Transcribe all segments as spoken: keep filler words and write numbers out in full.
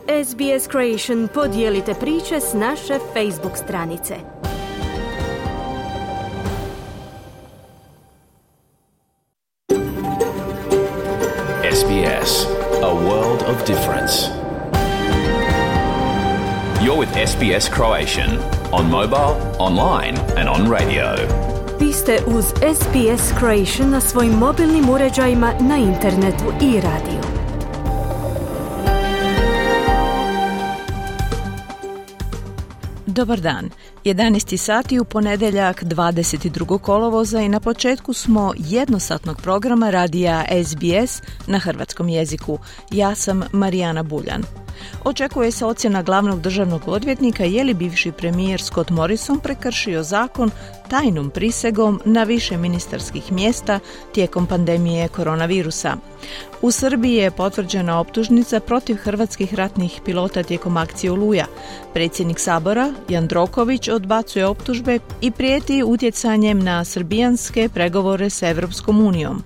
S B S Creation podijelite priče s naše Facebook stranice. S B S, a world of difference. You're with S B S Croatian on mobile, online and on radio. Vi ste uz S B S Croatian na svojim mobilnim uređajima, na internetu i radiju. Dobar dan. jedanaest sati u ponedjeljak dvadeset drugog kolovoza i na početku smo jednosatnog programa radija S B S na hrvatskom jeziku. Ja sam Marijana Buljan. Očekuje se ocjena glavnog državnog odvjetnika je li bivši premijer Scott Morrison prekršio zakon tajnom prisegom na više ministarskih mjesta tijekom pandemije koronavirusa. U Srbiji je potvrđena optužnica protiv hrvatskih ratnih pilota tijekom akcije Oluja. Predsjednik Sabora, Jandroković, odbacuje optužbe i prijeti utjecanjem na srbijanske pregovore s Europskom unijom.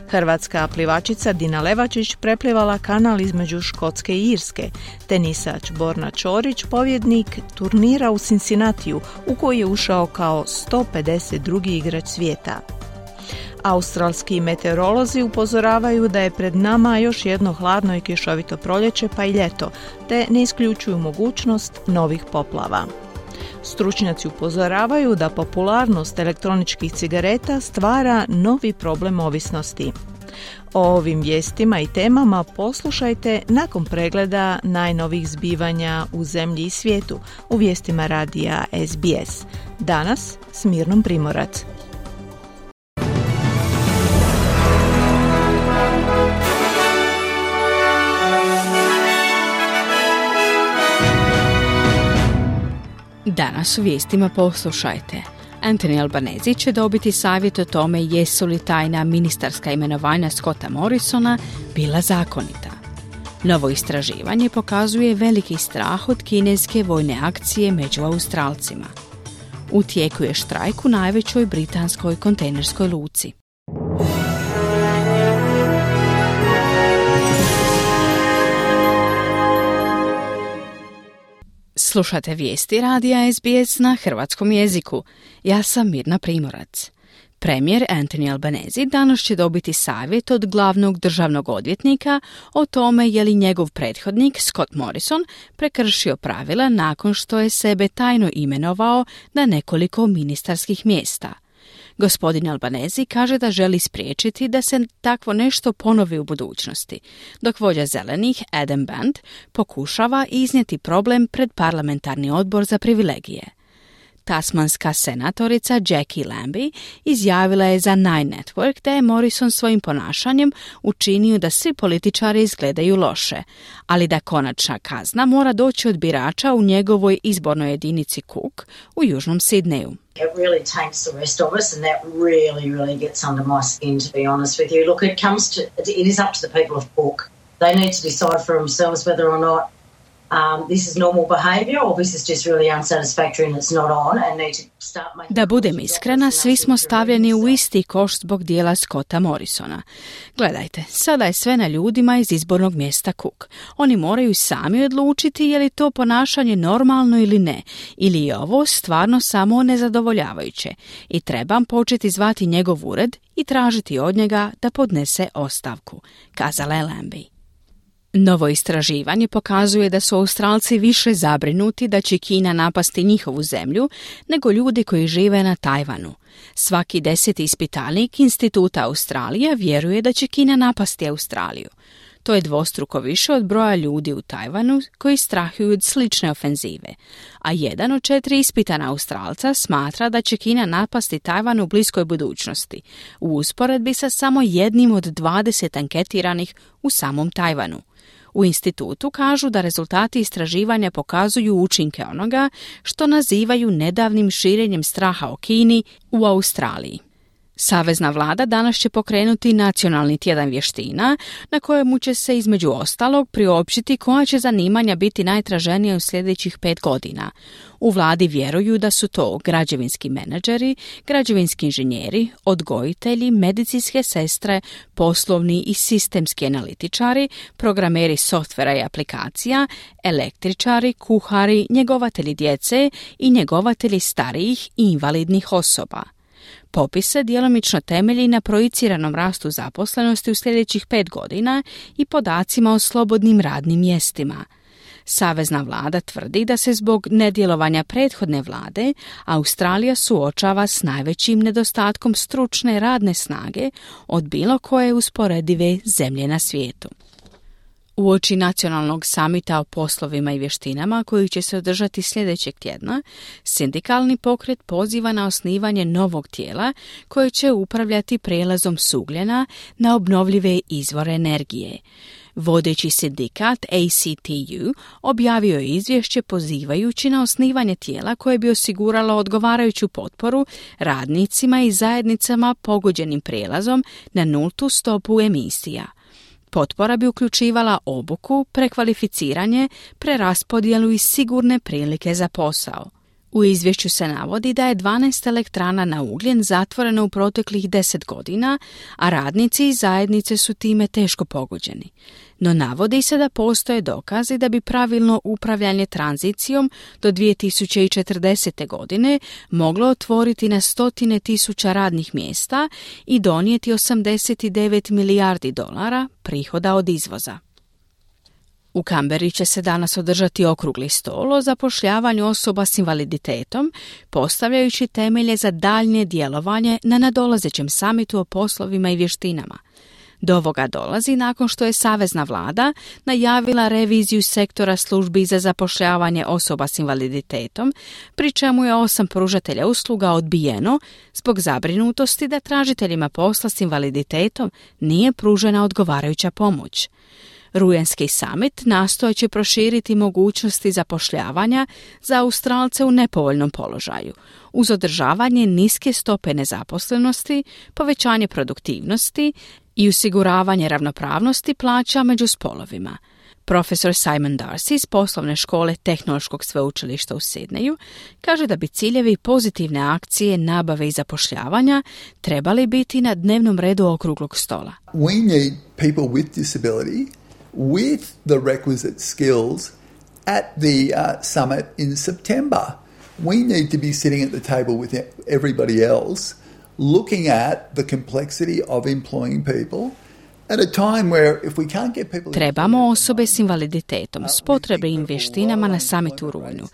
Hrvatska plivačica Dina Levačić preplivala kanal između Škotske i Irske. Tenisač Borna Ćorić pobjednik turnira u Cincinnatiju u koji je ušao kao sto pedeset drugi igrač svijeta. Australski meteorolozi upozoravaju da je pred nama još jedno hladno i kišovito proljeće pa i ljeto, te ne isključuju mogućnost novih poplava. Stručnjaci upozoravaju da popularnost elektroničkih cigareta stvara novi problem ovisnosti. O ovim vijestima i temama poslušajte nakon pregleda najnovih zbivanja u zemlji i svijetu u vijestima radija S B S. Danas s Mirnom Primorac. Danas u vijestima poslušajte. Anthony Albanese će dobiti savjet o tome jesu li tajna ministarska imenovanja Scotta Morrisona bila zakonita. Novo istraživanje pokazuje veliki strah od kineske vojne akcije među Australcima. U tijeku je štrajk u najvećoj britanskoj kontejnerskoj luci. Slušate vijesti radija S B S na hrvatskom jeziku. Ja sam Mirna Primorac. Premijer Anthony Albanese danas će dobiti savjet od glavnog državnog odvjetnika o tome je li njegov prethodnik Scott Morrison prekršio pravila nakon što je sebe tajno imenovao na nekoliko ministarskih mjesta. Gospodin Albanese kaže da želi spriječiti da se takvo nešto ponovi u budućnosti, dok vođa zelenih Adam Band pokušava iznijeti problem pred parlamentarni odbor za privilegije. Tasmanska senatorica Jackie Lambie izjavila je za Nine Network da je Morrison svojim ponašanjem učinio da svi političari izgledaju loše, ali da konačna kazna mora doći od birača u njegovoj izbornoj jedinici Cook u južnom Sidneju. It really taints the rest of us and that really, really gets under my skin, to be honest with you. Look, it comes to, it is up to the people of Cook. They need to decide for themselves whether or not Um, this is normal behavior or this is just really unsatisfactory and it's not on and need to start making... Da budem iskrena, svi smo stavljeni u isti koš zbog dijela Scotta Morrisona. Gledajte, sada je sve na ljudima iz izbornog mjesta Cook. Oni moraju sami odlučiti je li to ponašanje normalno ili ne, ili je ovo stvarno samo nezadovoljavajuće i trebam početi zvati njegov ured i tražiti od njega da podnese ostavku, kazala je Lambie. Novo istraživanje pokazuje da su Australci više zabrinuti da će Kina napasti njihovu zemlju nego ljudi koji žive na Tajvanu. Svaki deseti ispitanik Instituta Australija vjeruje da će Kina napasti Australiju. To je dvostruko više od broja ljudi u Tajvanu koji strahuju od slične ofenzive, a jedan od četiri ispitana Australca smatra da će Kina napasti Tajvan u bliskoj budućnosti, u usporedbi sa samo jednim od dvadeset anketiranih u samom Tajvanu. U institutu kažu da rezultati istraživanja pokazuju učinke onoga što nazivaju nedavnim širenjem straha o Kini u Australiji. Savezna vlada danas će pokrenuti nacionalni tjedan vještina na kojemu će se između ostalog priopćiti koja će zanimanja biti najtraženija u sljedećih pet godina. U vladi vjeruju da su to građevinski menadžeri, građevinski inženjeri, odgojitelji, medicinske sestre, poslovni i sistemski analitičari, programeri softvera i aplikacija, električari, kuhari, njegovatelji djece i njegovatelji starijih i invalidnih osoba. Popis se djelomično temelji na projiciranom rastu zaposlenosti u sljedećih pet godina i podacima o slobodnim radnim mjestima. Savezna vlada tvrdi da se zbog nedjelovanja prethodne vlade Australija suočava s najvećim nedostatkom stručne radne snage od bilo koje usporedive zemlje na svijetu. Uoči nacionalnog samita o poslovima i vještinama koji će se održati sljedećeg tjedna, sindikalni pokret poziva na osnivanje novog tijela koje će upravljati prijelazom s ugljena na obnovljive izvore energije. Vodeći sindikat A C T U objavio je izvješće pozivajući na osnivanje tijela koje bi osiguralo odgovarajuću potporu radnicima i zajednicama pogođenim prijelazom na nultu stopu emisija. Potpora bi uključivala obuku, prekvalificiranje, preraspodjelu i sigurne prilike za posao. U izvješću se navodi da je dvanaest elektrana na ugljen zatvoreno u proteklih deset godina, a radnici i zajednice su time teško pogođeni. No navodi se da postoje dokazi da bi pravilno upravljanje tranzicijom do dvije tisuće četrdesete. godine moglo otvoriti na stotine tisuća radnih mjesta i donijeti osamdeset devet milijardi dolara prihoda od izvoza. U Kamberi će se danas održati okrugli stol o zapošljavanju osoba s invaliditetom, postavljajući temelje za daljnje djelovanje na nadolazećem samitu o poslovima i vještinama. Do ovoga dolazi nakon što je Savezna vlada najavila reviziju sektora službi za zapošljavanje osoba s invaliditetom, pri čemu je osam pružatelja usluga odbijeno zbog zabrinutosti da tražiteljima posla s invaliditetom nije pružena odgovarajuća pomoć. Rujanski summit nastojat će proširiti mogućnosti zapošljavanja za Australce u nepovoljnom položaju, uz održavanje niske stope nezaposlenosti, povećanje produktivnosti i osiguravanje ravnopravnosti plaća među spolovima. Profesor Simon Darcy iz poslovne škole Tehnološkog sveučilišta u Sidneju kaže da bi ciljevi pozitivne akcije nabave i zapošljavanja trebali biti na dnevnom redu okruglog stola. We need people with disability with the requisite skills at the uh, summit in September. We need to be sitting at the table with everybody else, looking at the complexity of employing people at a time where if we can't get people... Trebamo osobe s invaliditetom s potrebnim vještinama na samitu u rujnu.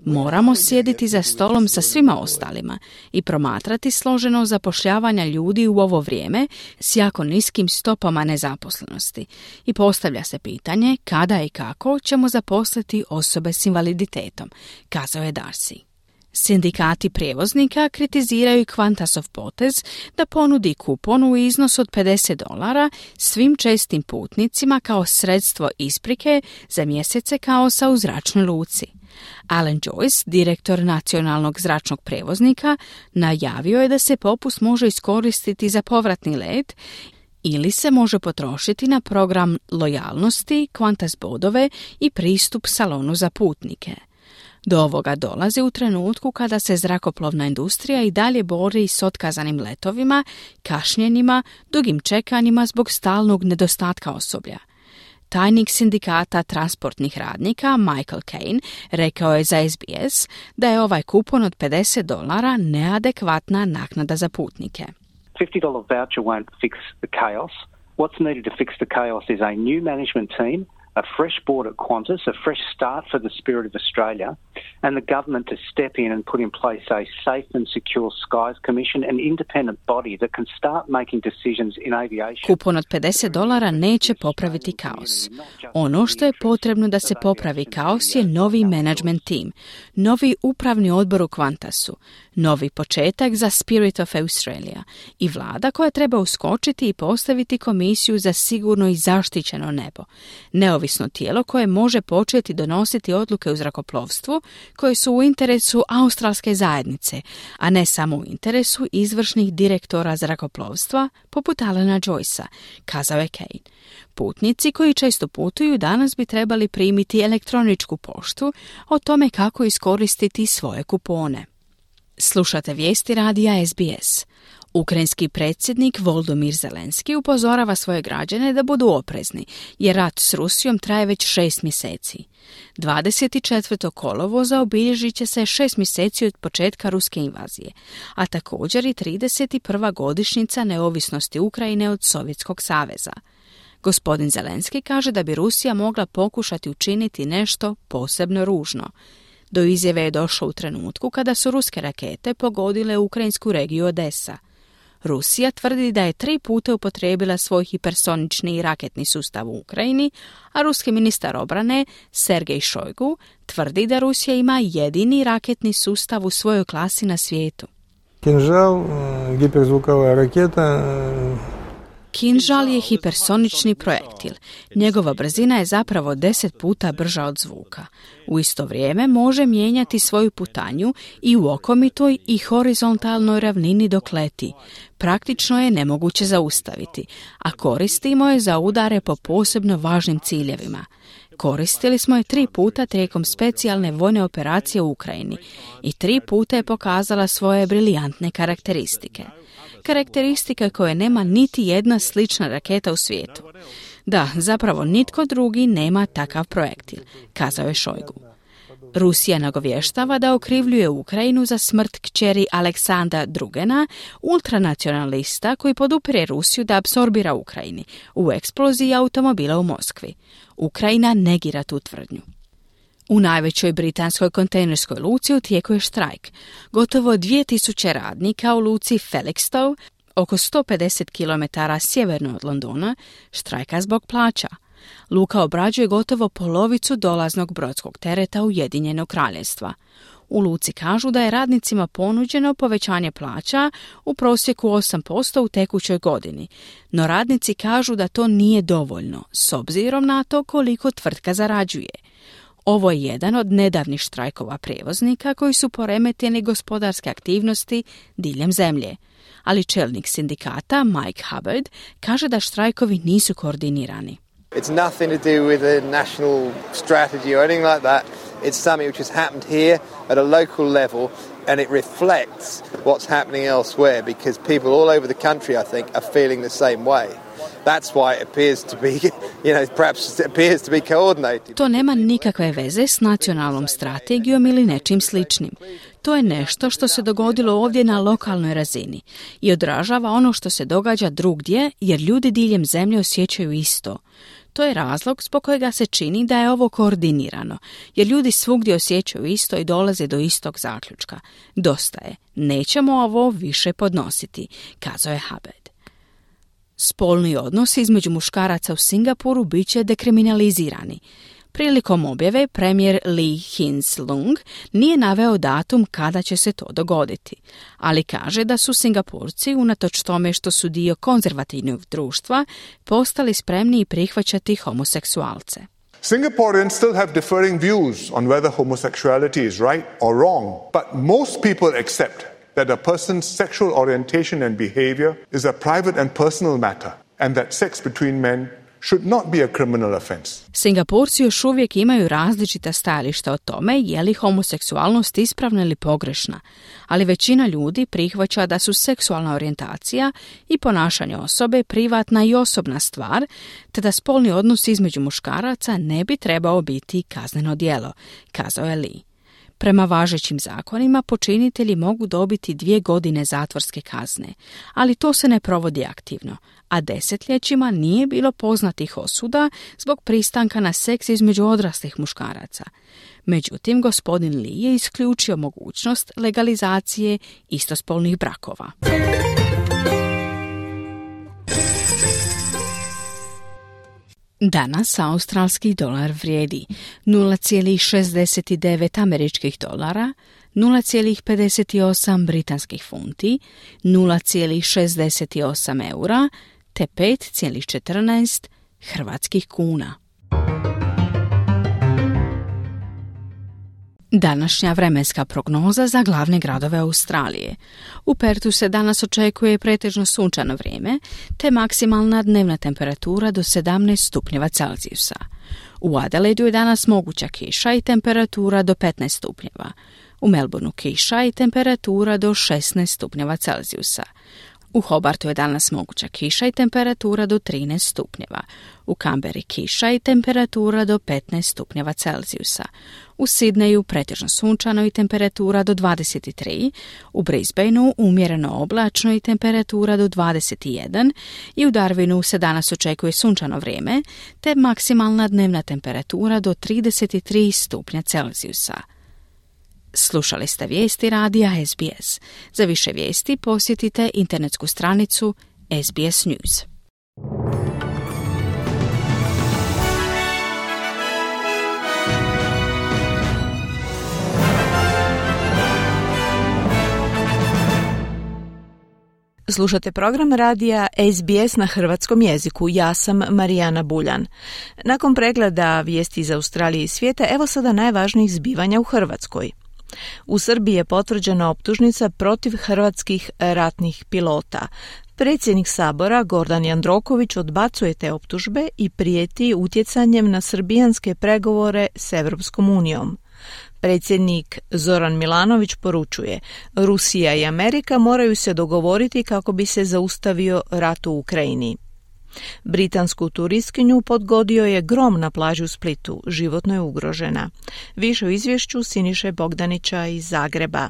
Moramo sjediti za stolom sa svima ostalima i promatrati složeno zapošljavanja ljudi u ovo vrijeme s jako niskim stopama nezaposlenosti. I postavlja se pitanje kada i kako ćemo zaposliti osobe s invaliditetom, kazao je Darcy. Sindikati prijevoznika kritiziraju Qantasov potez da ponudi kupon u iznos od pedeset dolara svim čestim putnicima kao sredstvo isprike za mjesece kaosa u zračnoj luci. Alan Joyce, direktor nacionalnog zračnog prijevoznika, najavio je da se popust može iskoristiti za povratni let ili se može potrošiti na program lojalnosti, Qantas bodove i pristup salonu za putnike. Do ovoga dolazi u trenutku kada se zrakoplovna industrija i dalje bori s otkazanim letovima, kašnjenjima, dugim čekanjima zbog stalnog nedostatka osoblja. Tajnik sindikata transportnih radnika Michael Kane rekao je za S B S da je ovaj kupon od pedeset dolara neadekvatna naknada za putnike. fifty dollars voucher won't fix the chaos. What's needed to fix the chaos is a new management team, a fresh board at Qantas, a fresh start for the Spirit of Australia, and the government to step in and put in place a Safe and Secure Skies Commission, an independent body that can start making decisions in aviation. Kupon od pedeset dolara neće popraviti kaos. Ono što je potrebno da se popravi kaos je novi management team, novi upravni odbor u Qantasu, novi početak za Spirit of Australia i vlada koja treba uskočiti i postaviti komisiju za sigurno i zaštićeno nebo, neovisno neovisno tijelo koje može početi donositi odluke u zrakoplovstvu koje su u interesu australske zajednice, a ne samo u interesu izvršnih direktora zrakoplovstva poput Alana Joycea, kazao je Kane. Putnici koji često putuju danas bi trebali primiti elektroničku poštu o tome kako iskoristiti svoje kupone. Slušate vijesti radija S B S. Ukrajinski predsjednik Volodymyr Zelenski upozorava svoje građane da budu oprezni, jer rat s Rusijom traje već šest mjeseci. dvadeset četvrtog kolovoza obilježit će se šest mjeseci od početka ruske invazije, a također i trideset prva godišnjica neovisnosti Ukrajine od Sovjetskog saveza. Gospodin Zelenski kaže da bi Rusija mogla pokušati učiniti nešto posebno ružno. Do izjave je došlo u trenutku kada su ruske rakete pogodile ukrajinsku regiju Odesa. Rusija tvrdi da je tri puta upotrijebila svoj hipersonični raketni sustav u Ukrajini, a ruski ministar obrane Sergej Šojgu tvrdi da Rusija ima jedini raketni sustav u svojoj klasi na svijetu. Kinžal, hiperzvukova raketa. Kinžal je hipersonični projektil. Njegova brzina je zapravo deset puta brža od zvuka. U isto vrijeme može mijenjati svoju putanju i u okomitoj i horizontalnoj ravnini dok leti. Praktično je nemoguće zaustaviti, a koristimo je za udare po posebno važnim ciljevima. Koristili smo je tri puta tijekom specijalne vojne operacije u Ukrajini i tri puta je pokazala svoje briljantne karakteristike. Karakteristike koje nema niti jedna slična raketa u svijetu. Da, zapravo nitko drugi nema takav projektil, kazao je Šojgu. Rusija nagovještava da okrivljuje Ukrajinu za smrt kćeri Aleksandra Drugena, ultranacionalista koji podupire Rusiju da apsorbira Ukrajini u eksploziji automobila u Moskvi. Ukrajina negira tu tvrdnju. U najvećoj britanskoj kontejnerskoj luci u tijeku je štrajk. Gotovo dvije tisuće radnika u luci Felixstowe, oko sto pedeset kilometara sjeverno od Londona, štrajka zbog plaća. Luka obrađuje gotovo polovicu dolaznog brodskog tereta Ujedinjenog kraljevstva. U luci kažu da je radnicima ponuđeno povećanje plaća u prosjeku osam posto u tekućoj godini, no radnici kažu da to nije dovoljno, s obzirom na to koliko tvrtka zarađuje. Ovo je jedan od nedavnih štrajkova prijevoznika koji su poremetili gospodarske aktivnosti diljem zemlje. Ali čelnik sindikata Mike Hubbard kaže da štrajkovi nisu koordinirani. It's nothing to do with a national strategy or anything like that. It's something which has happened here at a local level and it reflects what's happening elsewhere because people all over the country, I think, are feeling the same way. That's why it appears to be, you know, perhaps it appears to be coordinated. To nema nikakve veze s nacionalnom strategijom ili nečim sličnim. To je nešto što se dogodilo ovdje na lokalnoj razini i odražava ono što se događa drugdje jer ljudi diljem zemlje osjećaju isto. To je razlog zbog kojega se čini da je ovo koordinirano, jer ljudi svugdje osjećaju isto i dolaze do istog zaključka. Dosta je, nećemo ovo više podnositi, kazao je Hubbard. Spolni odnosi između muškaraca u Singapuru bit će dekriminalizirani. Prilikom objave premijer Lee Hsien-loong nije naveo datum kada će se to dogoditi, ali kaže da su Singapurci, unatoč tome što su dio konzervativnog društva, postali spremni prihvaćati homoseksualce. Singaporeans still have differing views on whether homosexuality is right or wrong, but most people accept that a person's sexual orientation and behavior is a private and personal matter and that sex between men should not be a criminal offense. Singapurci još uvijek imaju različita stajališta o tome je li homoseksualnost ispravna ili pogrešna, ali većina ljudi prihvaća da su seksualna orijentacija i ponašanje osobe privatna i osobna stvar, te da spolni odnos između muškaraca ne bi trebao biti kazneno djelo, kazao je Lee. Prema važećim zakonima počinitelji mogu dobiti dvije godine zatvorske kazne, ali to se ne provodi aktivno, a desetljećima nije bilo poznatih osuda zbog pristanka na seks između odraslih muškaraca. Međutim, gospodin Lee je isključio mogućnost legalizacije istospolnih brakova. Danas australski dolar vrijedi nula zarez šezdeset devet američkih dolara, nula zarez pedeset osam britanskih funti, nula zarez šezdeset osam eura te pet zarez četrnaest hrvatskih kuna. Današnja vremenska prognoza za glavne gradove Australije. U Pertu se danas očekuje pretežno sunčano vrijeme, te maksimalna dnevna temperatura do sedamnaest stupnjeva Celzijusa. U Adelaidu je danas moguća kiša i temperatura do petnaest stupnjeva. U Melbourneu kiša i temperatura do šesnaest stupnjeva Celzijusa. U Hobartu je danas moguća kiša i temperatura do trinaest stupnjeva. U Kamberi kiša i temperatura do petnaest stupnjeva Celzijusa. U Sidneju pretežno sunčano i temperatura do dvadeset tri, u Brisbaneu umjereno oblačno i temperatura do dvadeset jedan i u Darwinu se danas očekuje sunčano vrijeme te maksimalna dnevna temperatura do trideset tri stupnja Celzijusa. Slušali ste vijesti radija S B S. Za više vijesti posjetite internetsku stranicu S B S News. Slušate program radija S B S na hrvatskom jeziku. Ja sam Marijana Buljan. Nakon pregleda vijesti iz Australije i svijeta, evo sada najvažnijih zbivanja u Hrvatskoj. U Srbiji je potvrđena optužnica protiv hrvatskih ratnih pilota. Predsjednik Sabora Gordan Jandroković odbacuje te optužbe i prijeti utjecanjem na srbijanske pregovore s Europskom unijom. Predsjednik Zoran Milanović poručuje: Rusija i Amerika moraju se dogovoriti kako bi se zaustavio rat u Ukrajini. Britansku turistkinju podgodio je grom na plaži u Splitu, životno je ugrožena. Više u izvješću Siniše Bogdanića iz Zagreba.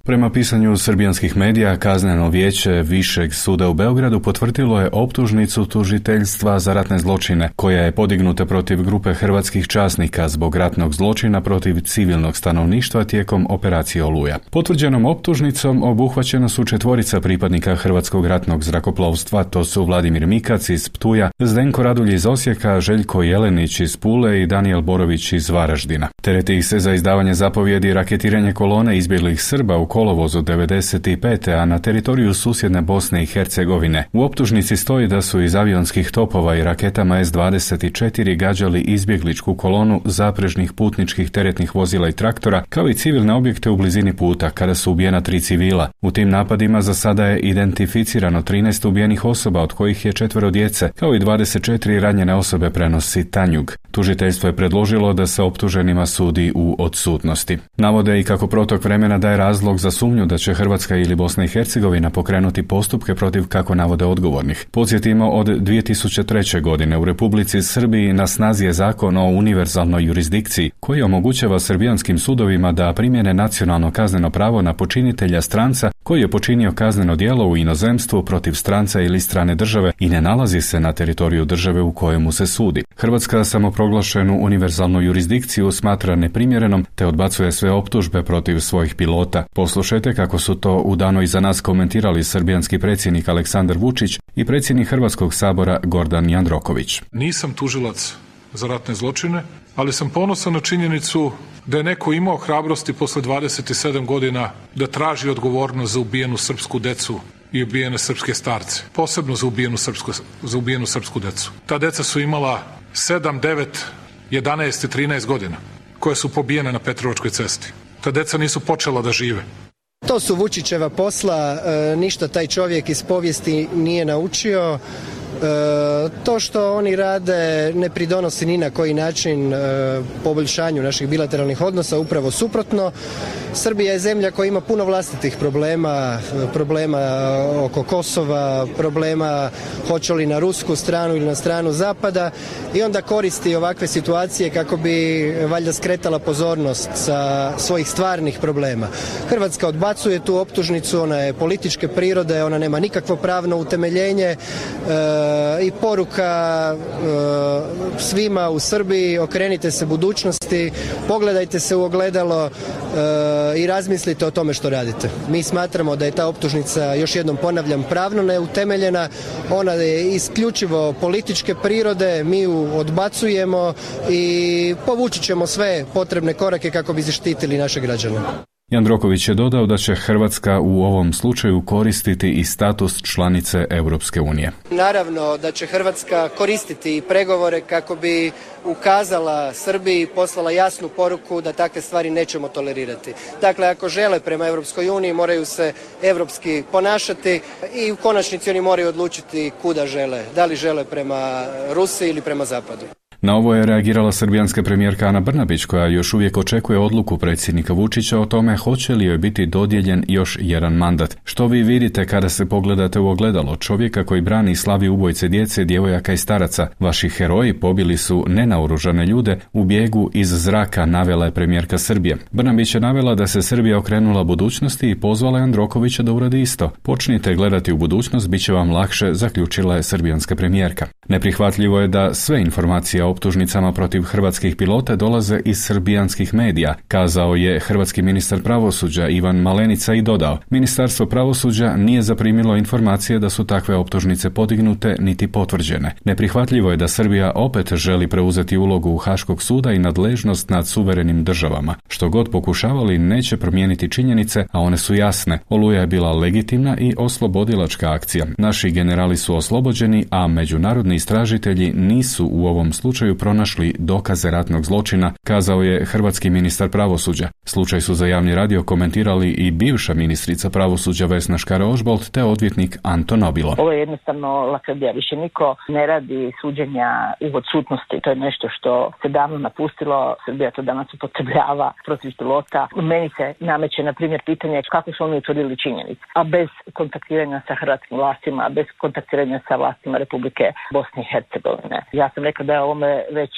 Prema pisanju srbijanskih medija, kazneno vijeće Višeg suda u Beogradu potvrdilo je optužnicu tužiteljstva za ratne zločine, koja je podignuta protiv grupe hrvatskih časnika zbog ratnog zločina protiv civilnog stanovništva tijekom operacije Oluja. Potvrđenom optužnicom obuhvaćena su četvorica pripadnika Hrvatskog ratnog zrakoplovstva, to su Vladimir Mikac iz Ptuja, Zdenko Radulj iz Osijeka, Željko Jelenić iz Pule i Danijel Borović iz Varaždina. Tereti ih se za izdavanje zapovjedi raketiranje kolone izbjeglih Srba u kolovozu devedeset pete. a na teritoriju susjedne Bosne i Hercegovine. U optužnici stoji da su iz avionskih topova i raketama S dvadeset četiri gađali izbjegličku kolonu zaprežnih putničkih teretnih vozila i traktora, kao i civilne objekte u blizini puta, kada su ubijena tri civila. U tim napadima za sada je identificirano trinaest ubijenih osoba, od kojih je četvero djece, kao i dvadeset četiri ranjene osobe, prenosi Tanjug. Tužiteljstvo je predložilo da se optuženima sudi u odsutnosti. Navode i kako protok vremena daje razlog za sumnju da će Hrvatska ili Bosna i Hercegovina pokrenuti postupke protiv, kako navode, odgovornih. Podsjetimo, od dvije tisuće treće. godine u Republici Srbiji na snazi je zakon o univerzalnoj jurisdikciji, koji omogućava srbijanskim sudovima da primjene nacionalno kazneno pravo na počinitelja stranca koji je počinio kazneno djelo u inozemstvu protiv stranca ili strane države i ne nalazi se na teritoriju države u kojemu se sudi. Hrvatska samoproglašenu univerzalnu jurisdikciju smatra neprimjerenom te odbacuje sve optužbe protiv svojih pilota. Poslušajte kako su to u danu iza nas komentirali srbijanski predsjednik Aleksandar Vučić i predsjednik Hrvatskog sabora Gordan Jandroković. Nisam tužilac za ratne zločine, ali sam ponosan na činjenicu da je neko imao hrabrosti posle dvadeset sedam godina da traži odgovornost za ubijenu srpsku decu i ubijene srpske starce, posebno za ubijenu srpsku, za ubijenu srpsku decu. Ta deca su imala sedam, devet, jedanaest i trinaest godina, koje su pobijene na Petrovačkoj cesti. Ta deca nisu počela da žive. To su Vučićeva posla, e, ništa taj čovjek iz povijesti nije naučio. E, to što oni rade ne pridonosi ni na koji način e, poboljšanju naših bilateralnih odnosa, upravo suprotno. Srbija je zemlja koja ima puno vlastitih problema, problema oko Kosova, problema hoće li na rusku stranu ili na stranu zapada i onda koristi ovakve situacije kako bi valjda skretala pozornost sa svojih stvarnih problema. Hrvatska odbacuje tu optužnicu, ona je političke prirode, ona nema nikakvo pravno utemeljenje e, i poruka e, svima u Srbiji: okrenite se budućnosti, pogledajte se u ogledalo e, i razmislite o tome što radite. Mi smatramo da je ta optužnica, još jednom ponavljam, pravno neutemeljena, ona je isključivo političke prirode, mi ju odbacujemo i povući ćemo sve potrebne korake kako bi zaštitili naše građane. Jandroković je dodao da će Hrvatska u ovom slučaju koristiti i status članice Europske unije. Naravno da će Hrvatska koristiti pregovore kako bi ukazala Srbiji i poslala jasnu poruku da takve stvari nećemo tolerirati. Dakle, ako žele prema Europskoj uniji, moraju se europski ponašati i u konačnici oni moraju odlučiti kuda žele. Da li žele prema Rusiji ili prema Zapadu. Na ovo je reagirala srbijanska premijerka Ana Brnabić, koja još uvijek očekuje odluku predsjednika Vučića o tome hoće li joj biti dodijeljen još jedan mandat. Što vi vidite kada se pogledate u ogledalo čovjeka koji brani i slavi ubojice djece, djevojaka i staraca? Vaši heroji pobili su nenaoružane ljude u bijegu iz zraka, navela je premijerka Srbije. Brnabić je navela da se Srbija okrenula budućnosti i pozvala Jandrokovića da uradi isto. Počnite gledati u budućnost, bit će vam lakše, zaključila je srbijanska premijerka. Neprihvatljivo je da sve informacije o optužnicama protiv hrvatskih pilota dolaze iz srbijanskih medija, kazao je hrvatski ministar pravosuđa Ivan Malenica i dodao: Ministarstvo pravosuđa nije zaprimilo informacije da su takve optužnice podignute niti potvrđene. Neprihvatljivo je da Srbija opet želi preuzeti ulogu Haškog suda i nadležnost nad suverenim državama. Što god pokušavali, neće promijeniti činjenice, a one su jasne. Oluja je bila legitimna i oslobodilačka akcija. Naši generali su oslobođeni, a međunarodni istražitelji nisu u ovom slučaju pronašli dokaze ratnog zločina, kazao je hrvatski ministar pravosuđa. Slučaj su za javni radio komentirali i bivša ministrica pravosuđa Vesna Škare-Ožbolt te odvjetnik Anto Nobilo. Ovo je jednostavno lakrdija. Više niko ne radi suđenja u odsutnosti. To je nešto što se davno napustilo. Srbija to danas upotrebljava protiv pilota. Meni se nameće, na primjer, pitanje kako su oni utvrdili činjenice, a bez kontaktiranja sa hrvatskim vlastima, bez kontaktiranja sa vlastima Republike Bosne i Hercegovine. Ja sam rekla da je ovome već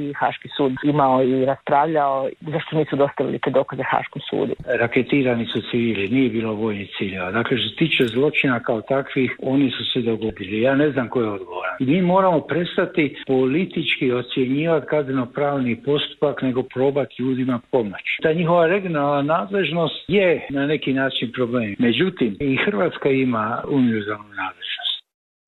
i Haški sud imao i raspravljao. Zašto nisu dostavili te dokaze Haškom sudu? Raketirani su civili, nije bilo vojnih ciljeva. Dakle, što se tiče zločina kao takvih, oni su se dogodili. Ja ne znam ko je odgovoran. Mi moramo prestati politički ocjenjivati kazneno-pravni postupak, nego probati ljudima pomoći. Ta njihova regionalna nadležnost je na neki način problem. Međutim, i Hrvatska ima univerzalnu nadležnost.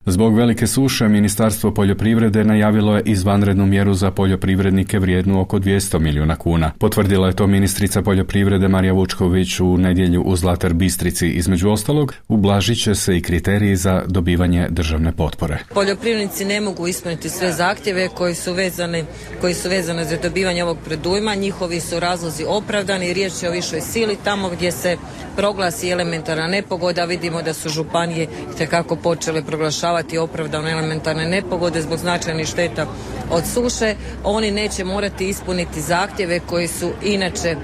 Zbog velike suše, Ministarstvo poljoprivrede najavilo je izvanrednu mjeru za poljoprivrednike vrijednu oko dvjesto milijuna kuna. Potvrdila je to ministrica poljoprivrede Marija Vučković u nedjelju u Zlatar Bistrici. Između ostalog, ublažit će se i kriteriji za dobivanje državne potpore. Poljoprivrednici ne mogu ispuniti sve zahtjeve koji su vezani, koji su vezane za dobivanje ovog predujma. Njihovi su razlozi opravdani, riječ je o višoj sili. Tamo gdje se proglasi elementarna nepogoda, vidimo da su županije itekako počele proglašavati opravdane elementarne nepogode zbog značajnih šteta od suše. Oni neće morati ispuniti zahtjeve koji su inače e,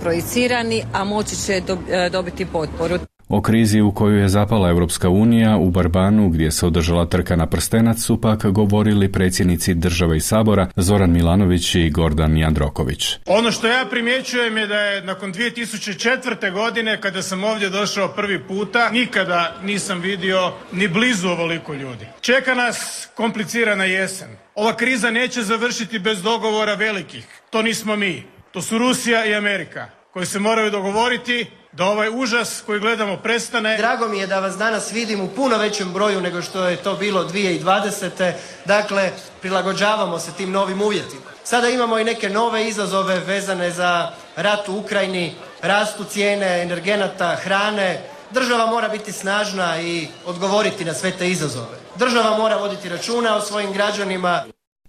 projicirani, a moći će do, e, dobiti potporu. O krizi u koju je zapala Europska unija u Barbanu, gdje se održala trka na prstenac, su pak govorili predsjednici države i sabora Zoran Milanović i Gordan Jandroković. Ono što ja primjećujem je da je nakon dvije tisuće četvrte. godine, kada sam ovdje došao prvi puta, nikada nisam vidio ni blizu ovoliko ljudi. Čeka nas komplicirana jesen. Ova kriza neće završiti bez dogovora velikih. To nismo mi. To su Rusija i Amerika, koji se moraju dogovoriti da ovaj užas koji gledamo prestane. Drago mi je da vas danas vidim u puno većem broju nego što je to bilo dvije tisuće dvadesete. Dakle, prilagođavamo se tim novim uvjetima. Sada imamo i neke nove izazove vezane za rat u Ukrajini, rastu cijene energenata, hrane. Država mora biti snažna i odgovoriti na sve te izazove. Država mora voditi računa o svojim građanima.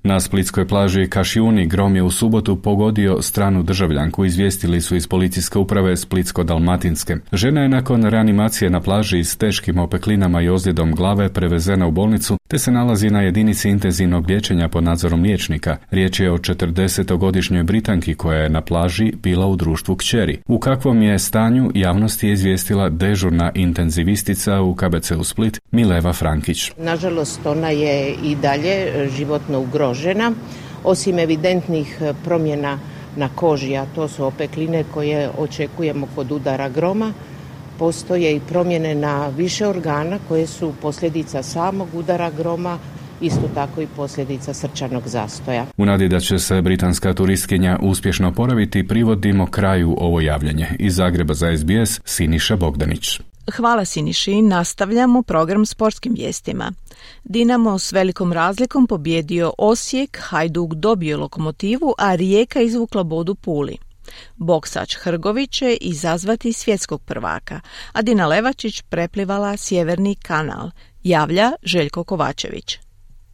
Na splitskoj plaži Kašiuni grom je u subotu pogodio stranu državljanku, izvijestili su iz policijske uprave Splitsko-dalmatinske. Žena je nakon reanimacije na plaži s teškim opeklinama i ozljedom glave prevezena u bolnicu, te se nalazi na jedinici intenzivnog liječenja pod nadzorom liječnika. Riječ je o četrdesetogodišnjoj Britanki koja je na plaži bila u društvu kćeri. U kakvom je stanju javnosti je izvijestila dežurna intenzivistica u K B C-u Split Mileva Frankić. Nažalost, ona je i dalje životno ugrožena. Žena, osim evidentnih promjena na koži, a to su opekline koje očekujemo kod udara groma, postoje i promjene na više organa koje su posljedica samog udara groma, isto tako i posljedica srčanog zastoja. U nadi da će se britanska turistkinja uspješno oporaviti, privodimo kraju ovo javljanje. Iz Zagreba za S B S, Siniša Bogdanić. Hvala Siniši, nastavljamo program sportskim vijestima. Dinamo s velikom razlikom pobjedio Osijek, Hajduk dobio Lokomotivu, a Rijeka izvukla bod u Puli. Boksač Hrgović će izazvati svjetskog prvaka, a Dina Levačić preplivala Sjeverni kanal, javlja Željko Kovačević.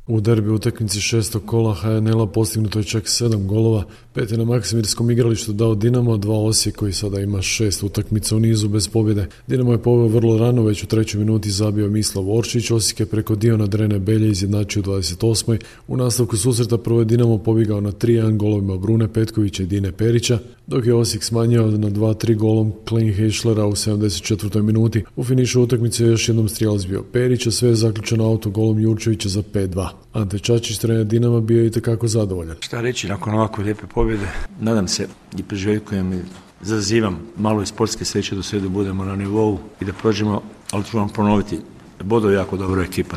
U derbi utakmici šestog kola H N L-a postignuto je čak sedam golova, pet je na Maksimirskom igralištu dao Dinamo, dva Osijek koji sada ima šest utakmica u nizu bez pobjede. Dinamo je poveo vrlo rano, već u trećoj minuti zabio Mislav Oršić, Osijek je preko Diona Drene Belje izjednačio u dvadeset osmoj. U nastavku susreta prvo je Dinamo pobjegao na tri jedan golovima Brune Petkovića i Dine Perića, dok je Osijek smanjio na dva tri golom Klein Heschlera u sedamdeset četvrtoj minuti. U finišu utakmice je još jednom strijelac bio Perić, a sve je zaključeno autogolom Jurčevića za pet dva. Ante Čačić, trener Dinama, bio je itekako zadovoljan. Šta reći nakon ovako lijepe pobjede? Nadam se i priželjkujem i zazivam malo i sportske sreće do sve da budemo na nivou i da prođemo, ali ću vam ponoviti, Bodo je jako dobra ekipa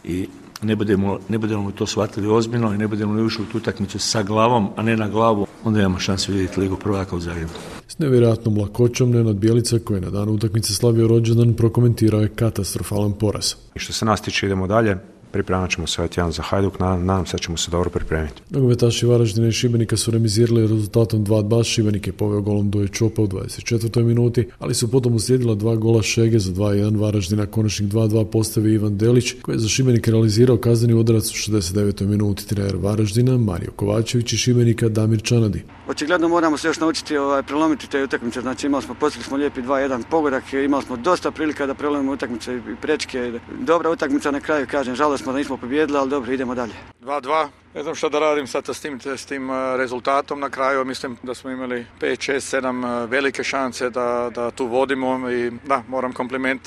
i ne budemo, ne budemo to shvatili ozbiljno i ne budemo li ušli u tu utakmicu sa glavom, a ne na glavu, onda imamo šansu vidjeti Ligu prvaka u Zagrebu. S nevjerojatnom lakoćom Nenad Bjelica, koji je na danu utakmice slavio rođendan, prokomentirao je katastrofalan poraz. I što se nas tiče, idemo dalje. Pripremat ćemo se ovaj tjedan za Hajduk, nadam se da ćemo se dobro pripremiti. Nogometaši Varaždina i Šibenika su remizirali rezultatom dva dva, Šibenik je poveo golom Doje Čopa u dvadeset četvrtoj minuti, ali su potom uslijedila dva gola Šege za dva jedan Varaždina, konačnik dva dva postavio Ivan Delić, koji je za Šibenik realizirao kazneni udarac u šezdeset devetoj minuti. Trener Varaždina Mario Kovačević i Šibenika Damir Čanadi. Očigledno moramo se još naučiti ovaj, prelomiti te utakmice, znači imali smo, postigli smo lijepi dva jedan pogodak, imali smo dosta prilika da prelomimo utakmice i prečke. Dobra utakmica na kraju, kažem, žalosno smo da nismo pobijedili, ali dobro, idemo dalje. dva dva. Ne znam što da radim sad s tim, s tim rezultatom na kraju. Mislim da smo imali pet šest sedam velike šanse da, da tu vodimo i da, moram kompliment,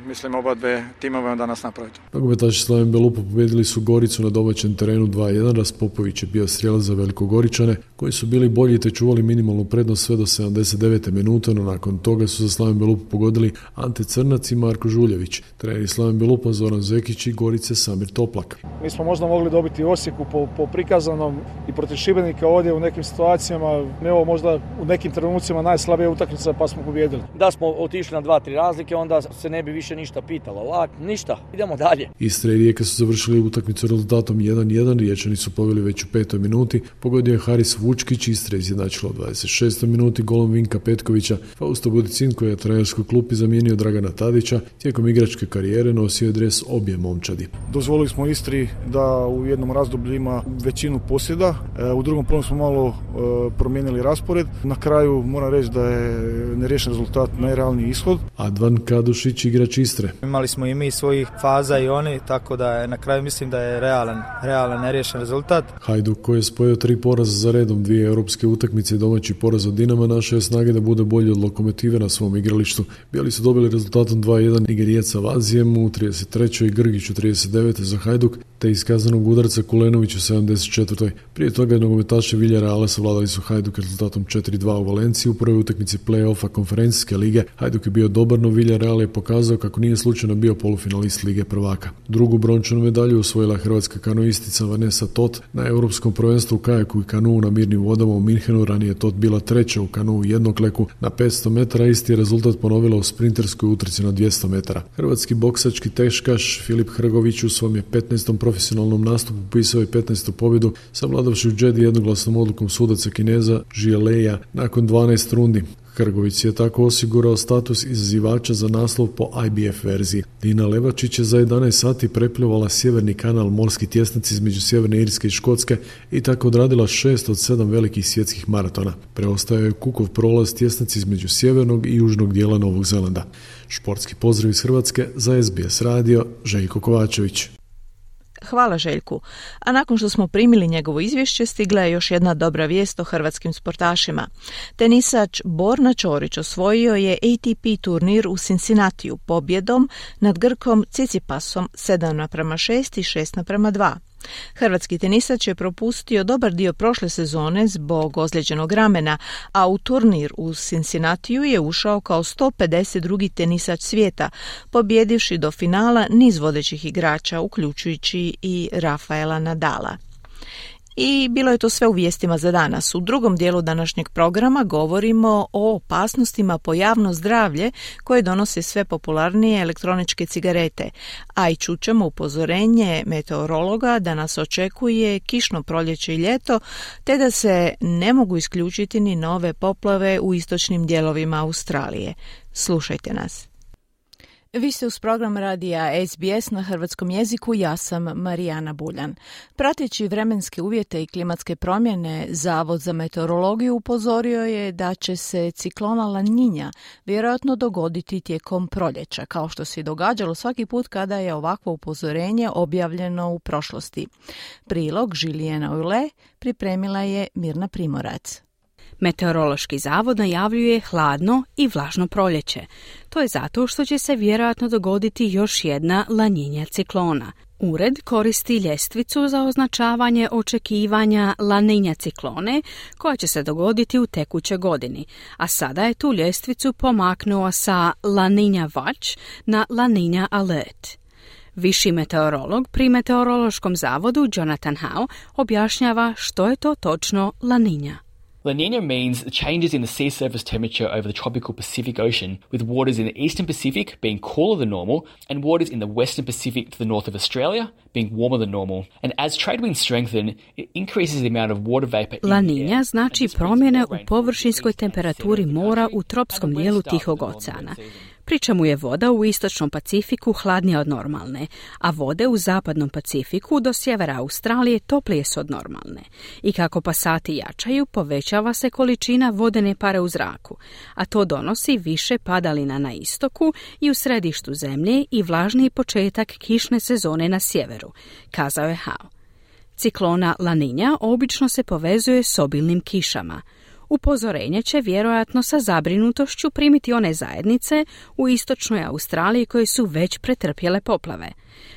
mislim, oba dve timove danas napraviti. Nogometaši Slaven Belupo pobjedili su Goricu na domaćem terenu dva jedan. Raspopović je bio strijelac za Velikogoričane, koji su bili bolji te čuvali minimalnu prednost sve do sedamdeset devete minute, no nakon toga su za Slaven Belupo pogodili Ante Crnac i Marko Žuljević. Treneri Slaven Belupo Zoran Zekić i Gorice Samir Toplak. Mi smo možda mogli dobiti Osijeku po, po prikazanom i protiv Šibenika ovdje u nekim situacijama, evo možda u nekim trenucima najslabija utakmica pa smo pobijedili. Da smo otišli na dva tri razlike, onda se ne bi više ništa pitalo. Ovak, ništa, idemo dalje. Istra i Rijeka su završili utakmicu rezultatom jedan jedan, Riječani su poveli već u petoj minuti, pogodio je Haris Vučkić, Istra izjednačila u dvadeset šestoj minuti golom Vinka Petkovića. Fausto Budicin, koji je trenerskoj klupi zamijenio Dragana Tadića, tijekom igračke karijere nosio je dres obje momčadi. Dozvolili smo Istri da u jednom razdoblju ima većinu posjeda, u drugom polu smo malo promijenili raspored. Na kraju moram reći da je neriješen rezultat najrealniji ishod. Advan Kadušić, igrač Istre. Imali smo i mi svojih faza i oni, tako da je na kraju mislim da je realan, realan neriješen rezultat. Hajduk, koji je spojio tri poraza za redom, dvije europske utakmice i domaći poraz od Dinama, našao je snage da bude bolji od Lokomotive na svom igralištu. Bijeli su dobili rezultatom dva jedan Nigerijaca Vazijem u trideset trećoj i Grgić u trideset devetoj za Hajduk, te iskazanog udarca Kulenović u sedamdeset četvrtoj. Prije toga nogometaši Villarreala savladali su Hajduk rezultatom četiri dva u Valenciji u prvoj utakmici play-offa konferencijske lige. Hajduk je bio dobar, no Villarreal je pokazao kako nije slučajno bio polufinalist Lige prvaka. Drugu brončanu medalju osvojila hrvatska kanoistica Vanessa Tot na europskom prvenstvu u kajaku i kanuu na mirnim vodama u Minhenu. Ranije Tot bila treća u kanuu jednokleku na petsto metara, isti je rezultat ponovila u sprinterskoj utrci na dvjesto metara. Hrvatski boksački teškaš Filip Hrgović u svom je petnaestom profesionalnom nastupu upisao je petnaestu pobjedu, savladavši u Džedi jednoglasnom odlukom sudaca Kineza Žieleja nakon dvanaest rundi. Hrgović je tako osigurao status izazivača za naslov po I B F verziji. Dina Levačić je za jedanaest sati prepljovala Sjeverni kanal, morski tjesnac između Sjeverne Irske i Škotske, i tako odradila šest od sedam velikih svjetskih maratona. Preostao je Kukov prolaz, tjesnac između sjevernog i južnog dijela Novog Zelanda. Športski pozdrav iz Hrvatske za S B S radio, Željko Kovačević. Hvala Željku. A nakon što smo primili njegovo izvješće, stigla je još jedna dobra vijest o hrvatskim sportašima. Tenisač Borna Ćorić osvojio je A T P turnir u Cincinnatiju pobjedom nad Grkom Cicipasom sedam naprama šest i šest naprama dva. Hrvatski tenisač je propustio dobar dio prošle sezone zbog ozlijeđenog ramena, a u turnir u Cincinnatiju je ušao kao sto pedeset drugi tenisač svijeta, pobjedivši do finala niz vodećih igrača, uključujući i Rafaela Nadala. I bilo je to sve u vijestima za danas. U drugom dijelu današnjeg programa govorimo o opasnostima po javno zdravlje koje donose sve popularnije elektroničke cigarete, a i čućemo upozorenje meteorologa da nas očekuje kišno proljeće i ljeto, te da se ne mogu isključiti ni nove poplave u istočnim dijelovima Australije. Slušajte nas. Vi ste uz program radija S B S na hrvatskom jeziku, ja sam Marijana Buljan. Prateći vremenske uvjete i klimatske promjene, Zavod za meteorologiju upozorio je da će se ciklona La Niña vjerojatno dogoditi tijekom proljeća, kao što se događalo svaki put kada je ovakvo upozorenje objavljeno u prošlosti. Prilog Žilijena Ule pripremila je Mirna Primorac. Meteorološki zavod najavljuje hladno i vlažno proljeće. To je zato što će se vjerojatno dogoditi još jedna La Niña ciklona. Ured koristi ljestvicu za označavanje očekivanja La Niña ciklone koja će se dogoditi u tekućoj godini, a sada je tu ljestvicu pomaknuo sa La Niña Watch na La Niña Alert. Viši meteorolog pri Meteorološkom zavodu Jonathan Howe objašnjava što je to točno La Niña. La Niña means changes in the sea surface temperature over the tropical Pacific Ocean, with waters in the eastern Pacific being cooler than normal and waters in the western Pacific to the north of Australia being warmer than normal. And as trade winds strengthen, it increases the amount of water vapor in La Niña znači promjene u površinskoj temperaturi mora u tropskom dijelu Tihog oceana. Pri čemu je voda u istočnom Pacifiku hladnija od normalne, a vode u zapadnom Pacifiku do sjevera Australije toplije su od normalne. I kako pasati jačaju, povećava se količina vodene pare u zraku, a to donosi više padalina na istoku i u središtu zemlje i vlažniji početak kišne sezone na sjeveru, kazao je Howe. Ciklona La Niña obično se povezuje s obilnim kišama. Upozorenje će vjerojatno sa zabrinutošću primiti one zajednice u istočnoj Australiji koje su već pretrpjele poplave.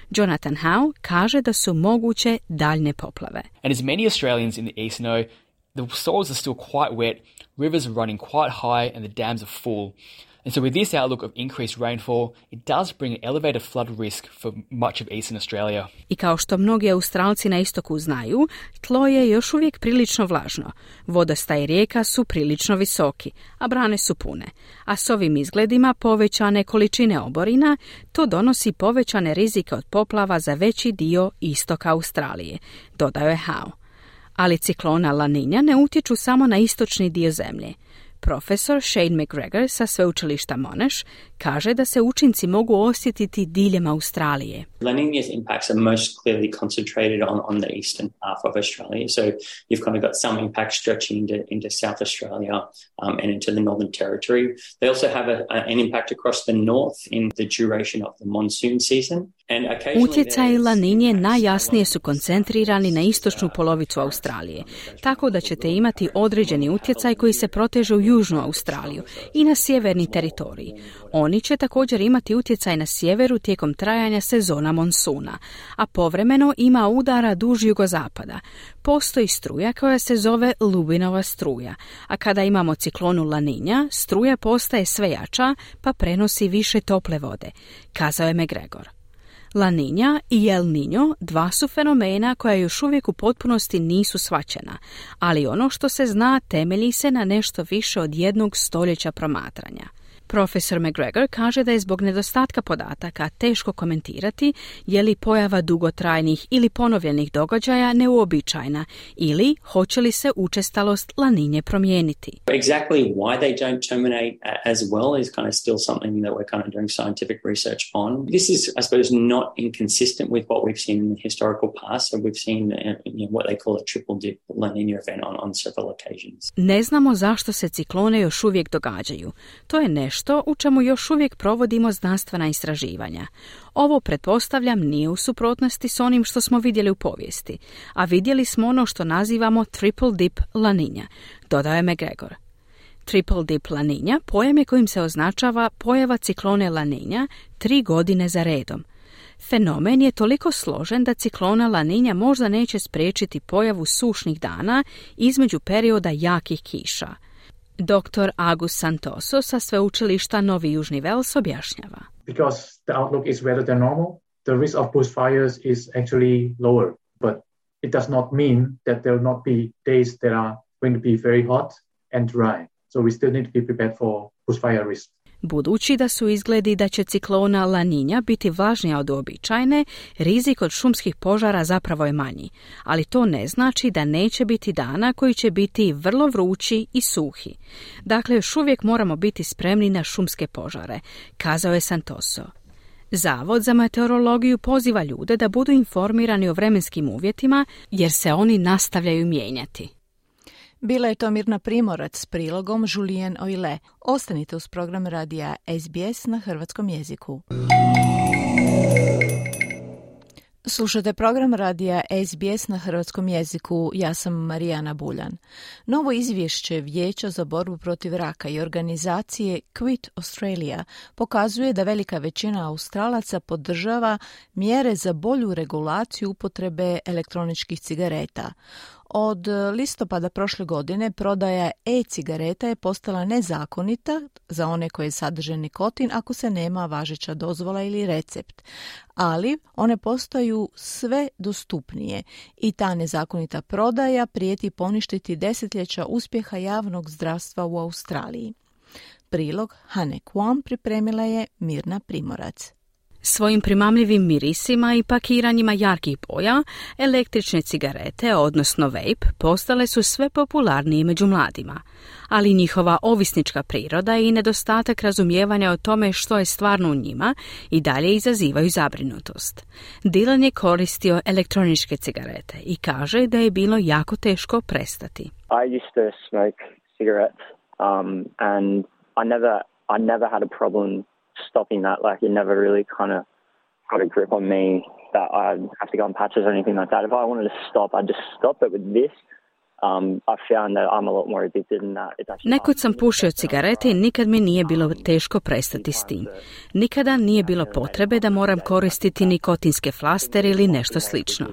Jonathan Howe kaže da su moguće daljne poplave. And as many Australians in the east know, the soils are still quite wet, rivers are running quite high and the dams are full. And so with this outlook of increased rainfall, it does bring an elevated flood risk for much of eastern Australia. I kao što mnogi Australci na istoku znaju, tlo je još uvijek prilično vlažno. Vodostaji rijeka su prilično visoki, a brane su pune. A s ovim izgledima povećane količine oborina, to donosi povećane rizike od poplava za veći dio istoka Australije, dodao je Howe. Ali ciklona La Niña ne utječu samo na istočni dio zemlje. Profesor Shane McGregor sa sveučilišta Monash kaže da se učinci mogu osjetiti diljem Australije. La Niña's impacts are most clearly concentrated on, on the eastern half of Australia. So you've kind of got some impact stretching into, into South Australia um, and into the Northern Territory. They also have a, a, an impact across the north in the duration of the monsoon season. Utjecaji La Niñe najjasnije su koncentrirani na istočnu polovicu Australije, tako da ćete imati određeni utjecaj koji se proteže u južnu Australiju i na sjeverni teritorij. Oni će također imati utjecaj na sjeveru tijekom trajanja sezona monsuna, a povremeno ima udara duž jugozapada. Postoji struja koja se zove Lubinova struja, a kada imamo ciklonu La Niña, struja postaje sve jača pa prenosi više tople vode, kazao je McGregor. La Niña i El Niño dva su fenomena koja još uvijek u potpunosti nisu shvaćena, ali ono što se zna temelji se na nešto više od jednog stoljeća promatranja. Profesor McGregor kaže da je zbog nedostatka podataka teško komentirati je li pojava dugotrajnih ili ponovljenih događaja neuobičajena ili hoće li se učestalost La Niñe promijeniti. Exactly why they don't terminate as well is kind of still something that we're kind of doing scientific research on. This is, I suppose, not inconsistent with what we've seen in the historical past. So we've seen you know, what they call a triple dip La Niña event on, on several occasions. Ne znamo zašto se ciklone još uvijek događaju. To je nešto što u čemu još uvijek provodimo znanstvena istraživanja. Ovo, pretpostavljam, nije u suprotnosti s onim što smo vidjeli u povijesti, a vidjeli smo ono što nazivamo triple dip La Niña, dodao je McGregor. Triple dip La Niña pojam je kojim se označava pojava ciklone La Niña tri godine za redom. Fenomen je toliko složen da ciklona La Niña možda neće spriječiti pojavu sušnih dana između perioda jakih kiša. Doktor Agus Santoso sa sveučilišta Novi Južni Vels objašnjava. Because the outlook is wetter than normal, the risk of bushfires is actually lower. But it does not mean that there will not be days that are going to be very hot and dry. So we still need to be prepared for bushfire risk. Budući da su izgledi da će ciklona La Niña biti vlažnija od uobičajene, rizik od šumskih požara zapravo je manji, ali to ne znači da neće biti dana koji će biti vrlo vrući i suhi. Dakle, još uvijek moramo biti spremni na šumske požare, kazao je Santoso. Zavod za meteorologiju poziva ljude da budu informirani o vremenskim uvjetima jer se oni nastavljaju mijenjati. Bila je to Mirna Primorac s prilogom Julien Oile. Ostanite uz program radija S B S na hrvatskom jeziku. Slušate program radija S B S na hrvatskom jeziku. Ja sam Marijana Buljan. Novo izvješće Vijeća za borbu protiv raka i organizacije Quit Australia pokazuje da velika većina Australaca podržava mjere za bolju regulaciju upotrebe elektroničkih cigareta. Od listopada prošle godine prodaja e-cigareta je postala nezakonita za one koje sadrže nikotin ako se nema važeća dozvola ili recept. Ali one postaju sve dostupnije i ta nezakonita prodaja prijeti poništiti desetljeća uspjeha javnog zdravstva u Australiji. Prilog Hane Kwon pripremila je Mirna Primorac. Svojim primamljivim mirisima i pakiranjima jarkih boja, električne cigarete, odnosno vape, postale su sve popularnije među mladima. Ali njihova ovisnička priroda i nedostatak razumijevanja o tome što je stvarno u njima i dalje izazivaju zabrinutost. Dylan je koristio elektroničke cigarete i kaže da je bilo jako teško prestati. I used to smoke cigarettes um, and I never, I never had a problem stopping that. Like, it never really kind of got a grip on me that I have to go on patches or anything like that. If I wanted to stop, I'd just stop. But with this, um, I found that I'm a lot more addicted in that. It's actually Nekud sam pušio cigarete i nikad mi nije bilo teško prestati s tim. Nikada nije bilo potrebe da moram koristiti nikotinske flastere ili nešto slično.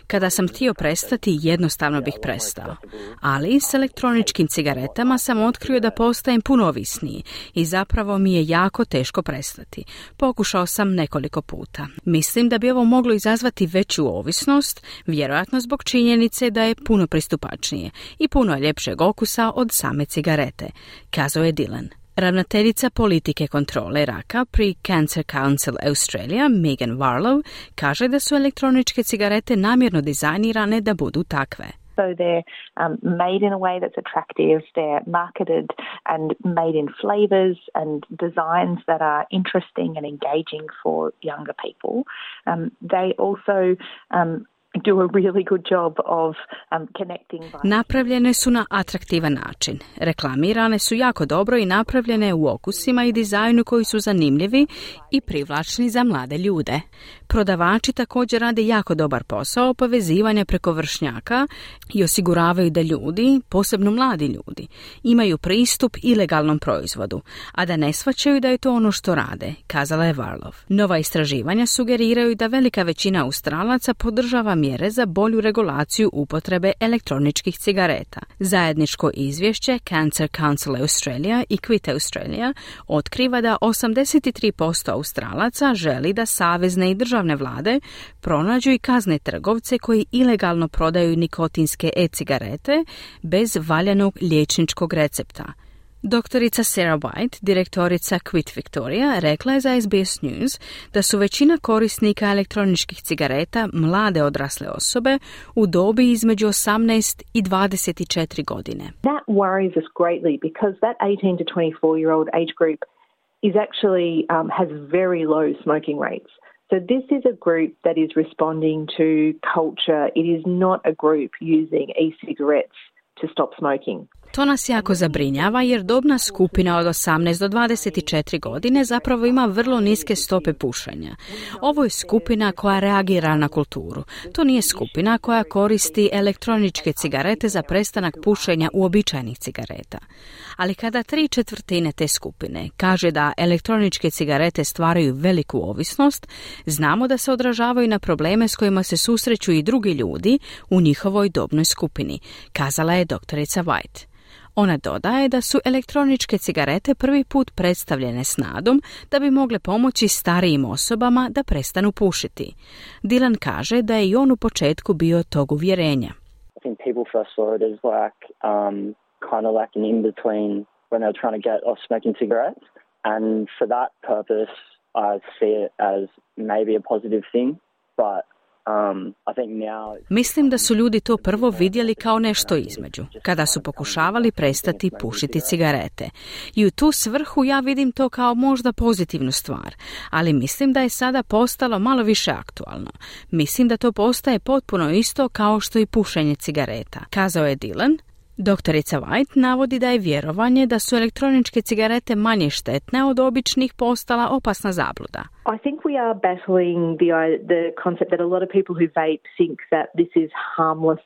Kada sam htio prestati, jednostavno bih prestao. Ali s elektroničkim cigaretama sam otkrio da postajem puno ovisniji i zapravo mi je jako teško prestati. Pokušao sam nekoliko puta. Mislim da bi ovo moglo izazvati veću ovisnost, vjerojatno zbog činjenice da je puno pristupačnije i puno ljepšeg okusa od same cigarete, kazao je Dylan. Ravnateljica politike kontrole raka pri Cancer Council Australia, Megan Warlow, kaže da su elektroničke cigarete namjerno dizajnirane da budu takve. So they're um, made in a way that's attractive, they're marketed and made in flavors and designs that are interesting and engaging for younger people. Um, they also um, do a really good job of um, connecting. Napravljene su na atraktivan način. Reklamirane su jako dobro i napravljene u okusima i dizajnu koji su zanimljivi i privlačni za mlade ljude. Prodavači također rade jako dobar posao povezivanja preko vršnjaka i osiguravaju da ljudi, posebno mladi ljudi, imaju pristup ilegalnom proizvodu, a da ne shvaćaju da je to ono što rade, kazala je Warlow. Nova istraživanja sugeriraju da velika većina Australaca podržava mjere za bolju regulaciju upotrebe elektroničkih cigareta. Zajedničko izvješće Cancer Council Australia i Quit Australia otkriva da osamdeset tri posto Australaca želi da savezne i državne vlade pronađu i kazne trgovce koji ilegalno prodaju nikotinske e-cigarete bez valjanog liječničkog recepta. Doktorica Sarah White, direktorica Quit Victoria, rekla je za S B S News da su većina korisnika elektroničkih cigareta mlade odrasle osobe u dobi između osamnaest i dvadeset četiri godine. That worries us greatly because that eighteen to twenty-four year old age group is actually um, has very low smoking rates. So this is a group that is responding to culture. It is not a group using e-cigarettes to stop smoking. To nas jako zabrinjava jer dobna skupina od osamnaest do dvadeset četiri godine zapravo ima vrlo niske stope pušenja. Ovo je skupina koja reagira na kulturu. To nije skupina koja koristi elektroničke cigarete za prestanak pušenja uobičajenih cigareta. Ali kada tri četvrtine te skupine kaže da elektroničke cigarete stvaraju veliku ovisnost, znamo da se odražavaju na probleme s kojima se susreću i drugi ljudi u njihovoj dobnoj skupini, kazala je doktorica White. Ona dodaje da su elektroničke cigarete prvi put predstavljene s nadom da bi mogle pomoći starijim osobama da prestanu pušiti. Dylan kaže da je i on u početku bio tog uvjerenja. I think people first saw it as like um, kind of like an in-between when they were trying to get off smoking cigarettes. And for that purpose, I see it as maybe a positive thing, but Um, I think now... Mislim da su ljudi to prvo vidjeli kao nešto između, kada su pokušavali prestati pušiti cigarete. I u tu svrhu ja vidim to kao možda pozitivnu stvar, ali mislim da je sada postalo malo više aktualno. Mislim da to postaje potpuno isto kao što i pušenje cigareta, kazao je Dylan. Doktorica White navodi da je vjerovanje da su elektroničke cigarete manje štetne od običnih postala opasna zabluda. I think we are battling the the concept that a lot of people who vape think that this is harmless,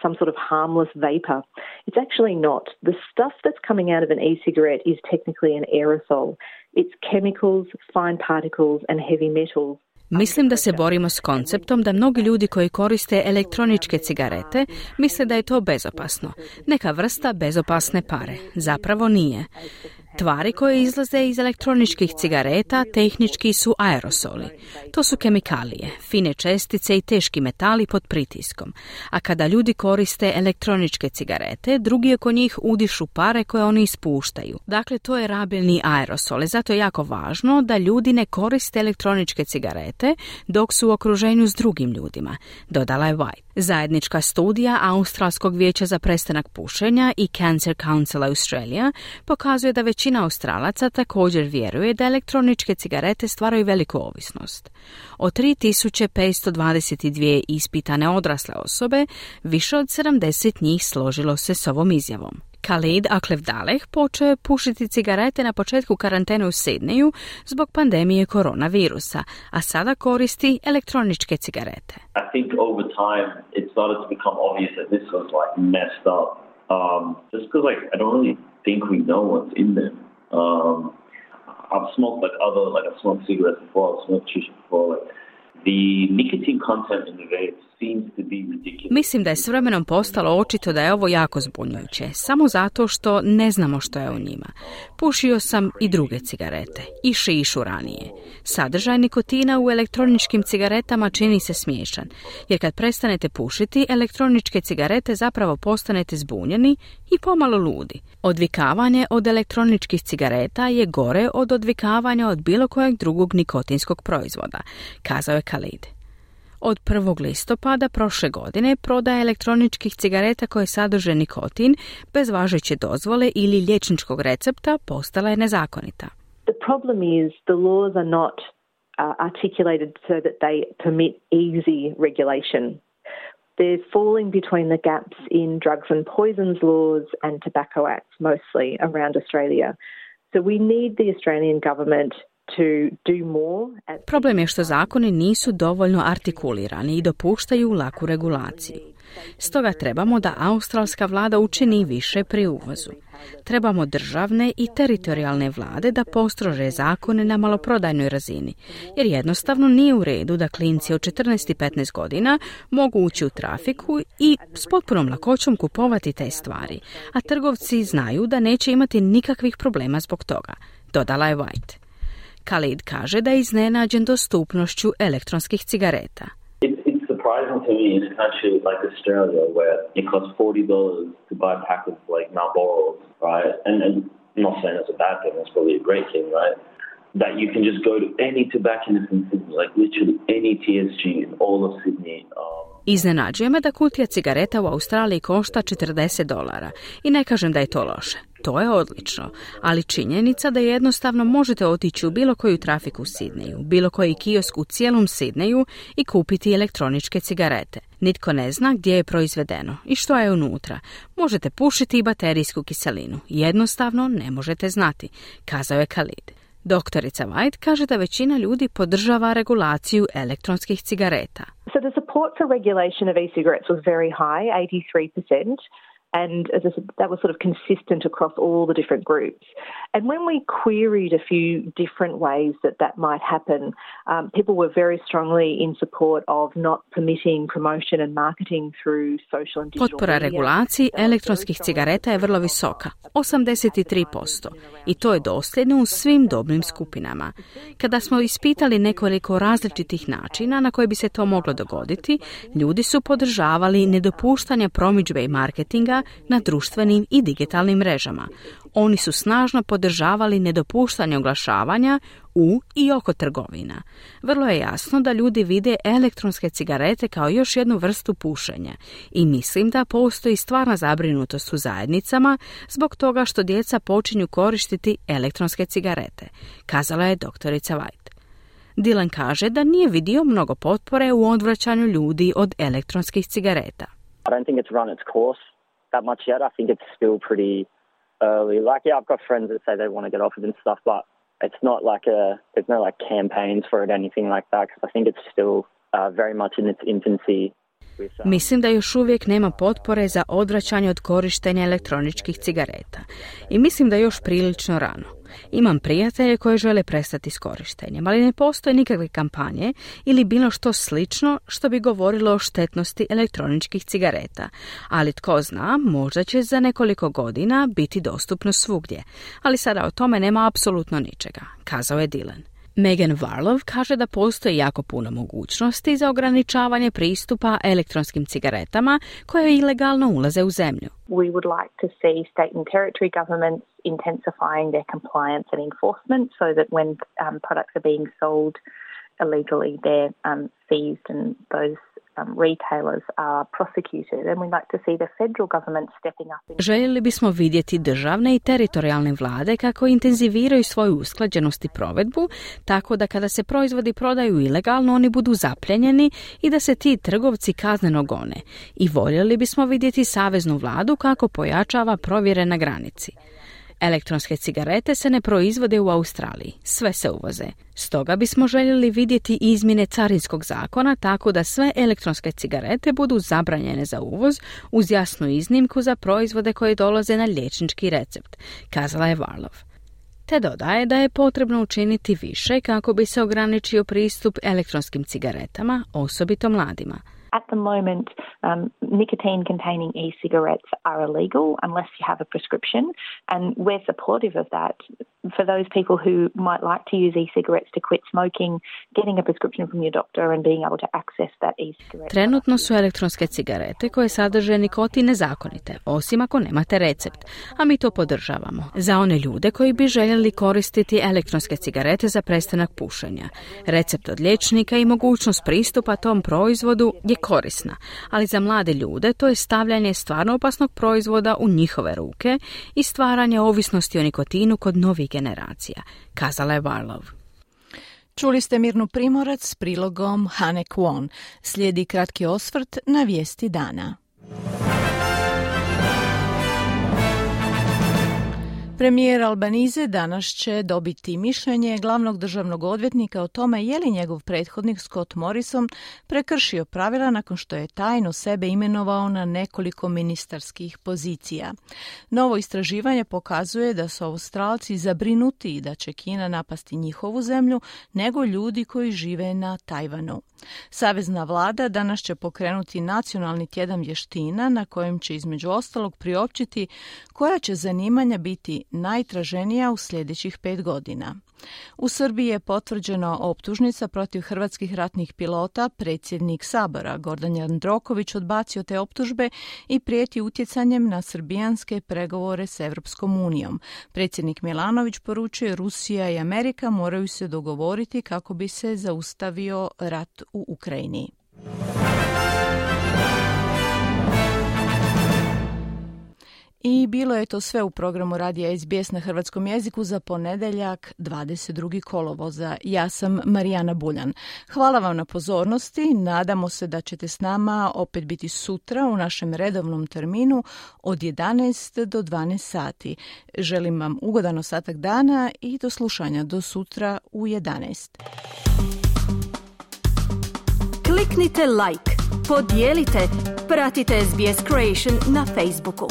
some sort of harmless vapor. It's actually not. The stuff that's coming out of an e-cigarette is technically an aerosol. It's chemicals, fine particles and heavy metals. Mislim da se borimo s konceptom da mnogi ljudi koji koriste elektroničke cigarete misle da je to bezopasno. Neka vrsta bezopasne pare. Zapravo nije. Tvari koje izlaze iz elektroničkih cigareta tehnički su aerosoli. To su kemikalije, fine čestice i teški metali pod pritiskom. A kada ljudi koriste elektroničke cigarete, drugi oko njih udišu pare koje oni ispuštaju. Dakle, to je rabilni aerosol. Zato je jako važno da ljudi ne koriste elektroničke cigarete dok su u okruženju s drugim ljudima, dodala je White. Zajednička studija Australskog vijeća za prestanak pušenja i Cancer Council Australia pokazuje da većina Australaca također vjeruje da elektroničke cigarete stvaraju veliku ovisnost. Od tri tisuće petsto dvadeset dvije ispitane odrasle osobe, više od sedamdeset njih složilo se s ovom izjavom. Khalid Aklevdaleh počeo je pušiti cigarete na početku karantene u Sidneju zbog pandemije koronavirusa, a sada koristi elektroničke cigarete. I think over time it started to become obvious that this was like messed up. Um, just because like I don't really think we know what's in them. Um, I've smoked like other like I smoked cigarettes before, I've smoked shisha before. Like the nicotine content in the vape seems to be ridiculous. Mislim da je s vremenom postalo očito da je ovo jako zbunjujuće, samo zato što ne znamo što je u njima. Pušio sam i druge cigarete, i šišu ranije. Sadržaj nikotina u elektroničkim cigaretama čini se smiješan, jer kad prestanete pušiti, elektroničke cigarete zapravo postanete zbunjeni i pomalo ludi. Odvikavanje od elektroničkih cigareta je gore od odvikavanja od bilo kojeg drugog nikotinskog proizvoda, kazao je Khalid. Od prvog listopada prošle godine prodaja elektroničkih cigareta koje sadrže nikotin bez važeće dozvole ili liječničkog recepta postala je nezakonita. The problem is the laws are not uh, articulated so that they permit easy regulation. They're falling between the gaps in drugs and poisons laws and tobacco acts mostly around Australia. So we need the Australian government to do more. Problem je što zakoni nisu dovoljno artikulirani i dopuštaju laku regulaciju. Stoga trebamo da australska vlada učini više pri uvozu. Trebamo državne i teritorijalne vlade da postrože zakone na maloprodajnoj razini, jer jednostavno nije u redu da klinci od četrnaest i petnaest godina mogu ući u trafiku i s potpunom lakoćom kupovati te stvari, a trgovci znaju da neće imati nikakvih problema zbog toga, dodala je White. Khalid kaže da je iznenađen dostupnošću elektronskih cigareta. It's surprising to me in a country like Australia where it costs forty dollars to buy a pack of like Marlboros, right? And, and I'm not saying that's a bad thing, that's probably a great thing, right? That you can just go to any tobacconist in Sydney, like literally any T S G in all of Sydney. Um, Iznenađuje me da kutija cigareta u Australiji košta četrdeset dolara i ne kažem da je to loše. To je odlično, ali činjenica da jednostavno možete otići u bilo koju trafiku u Sidneju, bilo koji kiosk u cijelom Sidneju i kupiti elektroničke cigarete. Nitko ne zna gdje je proizvedeno i što je unutra. Možete pušiti i baterijsku kiselinu. Jednostavno ne možete znati, kazao je Khalid. Doktorica White kaže da većina ljudi podržava regulaciju elektronskih cigareta. So the support for regulation of e-cigarettes was very high, eighty-three percent. And as I said, that was sort of consistent across all the different groups. And when we queried a few different ways that that might happen, um, people were very strongly in support of not permitting promotion and marketing through social and digital Potpora media. regulaciji elektronskih cigareta je vrlo visoka, osamdeset tri posto, i to je dosljedno u svim dobnim skupinama. Kada smo ispitali nekoliko različitih načina na koji bi se to moglo dogoditi, ljudi su podržavali nedopuštanje promidžbe i marketinga na društvenim i digitalnim mrežama. Oni su snažno podržavali nedopuštanje oglašavanja u i oko trgovina. Vrlo je jasno da ljudi vide elektronske cigarete kao još jednu vrstu pušenja i mislim da postoji stvarna zabrinutost u zajednicama zbog toga što djeca počinju koristiti elektronske cigarete, kazala je doktorica White. Dylan kaže da nije vidio mnogo potpore u odvraćanju ljudi od elektronskih cigareta. I don't think it's run its course that much yet. I think it's still pretty early. Like, yeah, I've got friends that say they want to get off it and stuff, but it's not like a, there's no like campaigns for it, anything like that, because I think it's still uh, very much in its infancy. Mislim da još uvijek nema potpore za odvraćanje od korištenja elektroničkih cigareta i mislim da još prilično rano. Imam prijatelje koji žele prestati s korištenjem, ali ne postoje nikakve kampanje ili bilo što slično što bi govorilo o štetnosti elektroničkih cigareta. Ali tko zna, možda će za nekoliko godina biti dostupno svugdje, ali sada o tome nema apsolutno ničega, kazao je Dylan. Megan Varlov kaže da postoji jako puno mogućnosti za ograničavanje pristupa elektronskim cigaretama koje ilegalno ulaze u zemlju. We would like to see state and territory governments intensifying their compliance and enforcement so that when um, products are being sold illegally, they're um, seized and those um, retailers are prosecuted. And we'd like to see the federal government stepping up. In... Željeli bismo vidjeti državne i teritorijalne vlade kako intenziviraju svoju usklađenost i provedbu, tako da kada se proizvodi prodaju ilegalno, oni budu zapljenjeni i da se ti trgovci kazneno gone. I voljeli bismo vidjeti saveznu vladu kako pojačava provjere na granici. Elektronske cigarete se ne proizvode u Australiji, sve se uvoze. Stoga bismo željeli vidjeti izmjene carinskog zakona tako da sve elektronske cigarete budu zabranjene za uvoz uz jasnu iznimku za proizvode koji dolaze na liječnički recept, kazala je Varlov. Te dodaje da je potrebno učiniti više kako bi se ograničio pristup elektronskim cigaretama, osobito mladima. At the moment, um, nicotine-containing e-cigarettes are illegal unless you have a prescription, and we're supportive of that. For those people who might like to use e-cigarettes to quit smoking, getting a prescription from your doctor and being able to access that e-cigarette. Trenutno su elektronske cigarete koje sadrže nikotin nezakonite, osim ako nemate recept, a mi to podržavamo. Za one ljude koji bi željeli koristiti elektronske cigarete za prestanak pušenja, recept od liječnika i mogućnost pristupa tom proizvodu je korisna, ali za mlade ljude to je stavljanje stvarno opasnog proizvoda u njihove ruke i stvaranje ovisnosti o nikotinu kod novih generacija, kazala je Varlov. Čuli ste Mirnu Primorac s prilogom Hane Kwon. Slijedi kratki osvrt na vijesti dana. Premijer Albanize danas će dobiti mišljenje glavnog državnog odvjetnika o tome je li njegov prethodnik Scott Morrison prekršio pravila nakon što je tajno sebe imenovao na nekoliko ministarskih pozicija. Novo istraživanje pokazuje da su Australci zabrinuti da će Kina napasti njihovu zemlju nego ljudi koji žive na Tajvanu. Savezna vlada danas će pokrenuti nacionalni tjedan vještina na kojem će između ostalog priopćiti koja će zanimanja biti najtraženija u sljedećih pet godina. U Srbiji je potvrđena optužnica protiv hrvatskih ratnih pilota. Predsjednik Sabora Gordan Jandroković odbacio te optužbe i prijeti utjecanjem na srbijanske pregovore s Europskom unijom. Predsjednik Milanović poručuje Rusija i Amerika moraju se dogovoriti kako bi se zaustavio rat u Ukrajini. I bilo je to sve u programu Radija S B S na hrvatskom jeziku za ponedjeljak dvadeset drugog kolovoza. Ja sam Marijana Buljan. Hvala vam na pozornosti. Nadamo se da ćete s nama opet biti sutra u našem redovnom terminu od jedanaest do dvanaest sati. Želim vam ugodan ostatak dana i do slušanja do sutra u jedanaest. Kliknite like, podijelite, pratite S B S Creation na Facebooku.